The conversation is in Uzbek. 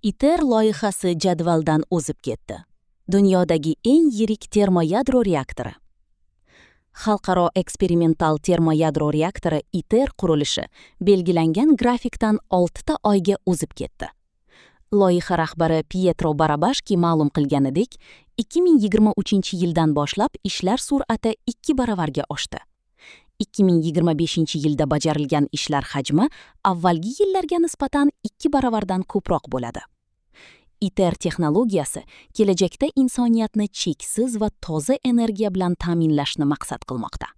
ITER loyihasi jadvaldan o'zib ketdi. Dunyodagi eng yirik termoyadro reaktori. Xalqaro eksperimental termoyadro reaktori ITER qurilishi belgilangan grafikdan 6 ta oyga o'zib ketdi. Loyiha rahbari Pietro Barabashki ma'lum qilganidek, 2023-yildan boshlab ishlar sur'ati 2 baravarga oshdi. 2025-yilda bajarilgan ishlar hajmi avvalgi yillarga nisbatan 2 baravardan ko'proq bo'ladi. ITER texnologiyasi kelajakda insoniyatni cheksiz va toza energiya bilan ta'minlashni maqsad qilmoqda.